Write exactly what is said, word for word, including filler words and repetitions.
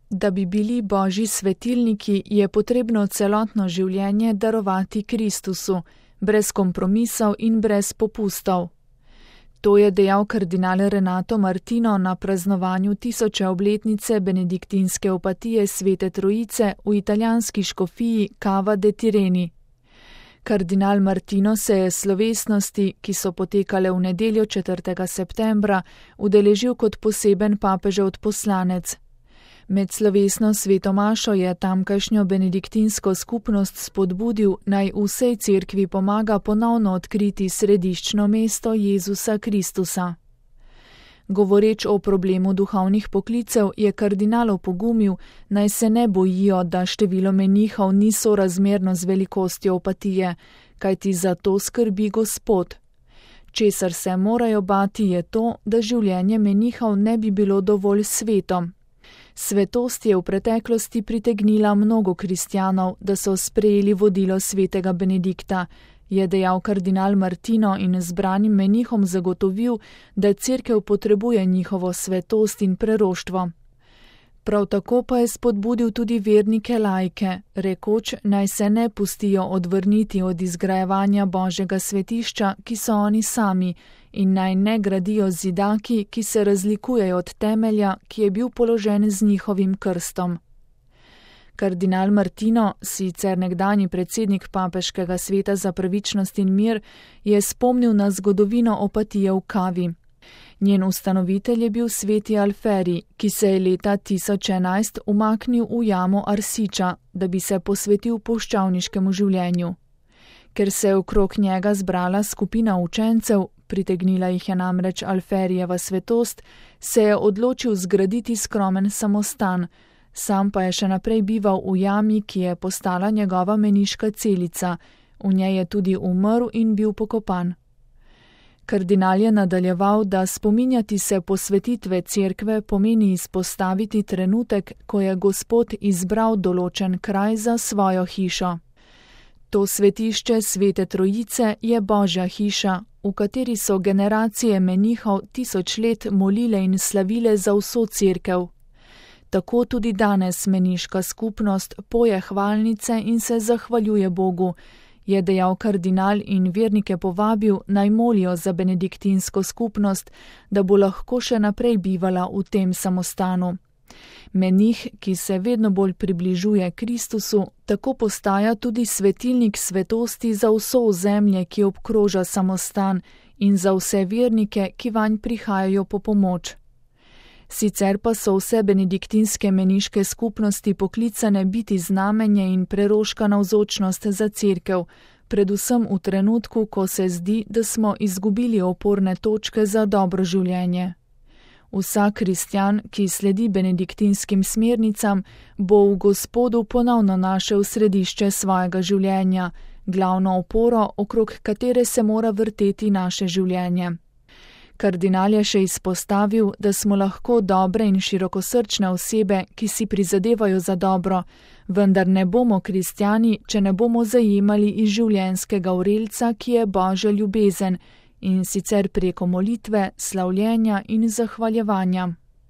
Da bi bili Božji svetilniki, je potrebno celotno življenje darovati Kristusu, brez kompromisov in brez popustov. To je dejal kardinal Renato Martino na praznovanju tisoče obletnice benediktinske opatije Svete Trojice v italijanski škofiji Cava de' Tirreni. Kardinal Martino se je slovesnosti, ki so potekale v nedeljo četrtega septembra, udeležil kot poseben papežev odposlanec. Med slovesno sveto mašo je tamkajšnjo benediktinsko skupnost spodbudil, naj vsej cerkvi pomaga ponovno odkriti središčno mesto Jezusa Kristusa. Govoreč o problemu duhovnih poklicev, je kardinal opogumil, naj se ne bojijo, da število menihov ni sorazmerno z velikostjo opatije, kajti za to skrbi Gospod. Česar se morajo bati je to, da življenje menihov ne bi bilo dovolj sveto. Svetost je v preteklosti pritegnila mnogo kristjanov, da so sprejeli vodilo svetega Benedikta, je dejal kardinal Martino in zbranim menihom zagotovil, da cerkev potrebuje njihovo svetost in preroštvo. Prav tako pa je spodbudil tudi vernike laike, rekoč, naj se ne pustijo odvrniti od izgrajevanja Božjega svetišča, ki so oni sami, in naj ne gradijo zidaki, ki se razlikujejo od temelja, ki je bil položen z njihovim krstom. Kardinal Martino, sicer nekdanji predsednik Papeškega sveta za pravičnost in mir, je spomnil na zgodovino opatije v Cavi. Njen ustanovitelj je bil sveti Alferi, ki se je leta tisoč enajst umaknil v jamo Arsiča, da bi se posvetil puščavniškemu življenju. Ker se je okrog njega zbrala skupina učencev, pritegnila jih je namreč Alferijeva svetost, se je odločil zgraditi skromen samostan, sam pa je še naprej bival v jami, ki je postala njegova meniška celica, v njej je tudi umrl in bil pokopan. Kardinal je nadaljeval, da spominjati se posvetitve cerkve pomeni izpostaviti trenutek, ko je Gospod izbral določen kraj za svojo hišo. To svetišče Svete Trojice je Božja hiša, v kateri so generacije menihov tisoč let molile in slavile za vso cerkev. Tako tudi danes meniška skupnost poje hvalnice in se zahvaljuje Bogu, je dejal kardinal in vernike povabil, naj molijo za benediktinsko skupnost, da bo lahko še naprej bivala v tem samostanu. Menih, ki se vedno bolj približuje Kristusu, tako postaja tudi svetilnik svetosti za vso ozemlje, ki obkroža samostan, in za vse vernike, ki vanj prihajajo po pomoč. Sicer pa so vse benediktinske meniške skupnosti poklicane biti znamenje in preroška navzočnost za cerkev, predvsem v trenutku, ko se zdi, da smo izgubili oporne točke za dobro življenje. Vsak kristjan, ki sledi benediktinskim smernicam, bo v Gospodu ponovno našel središče svojega življenja, glavno oporo, okrog katere se mora vrteti naše življenje. Kardinal je še izpostavil, da smo lahko dobre in širokosrčne osebe, ki si prizadevajo za dobro, vendar ne bomo kristjani, če ne bomo zajemali iz življenjskega vrelca, ki je Božja ljubezen, in sicer preko molitve, slavljenja in zahvaljevanja.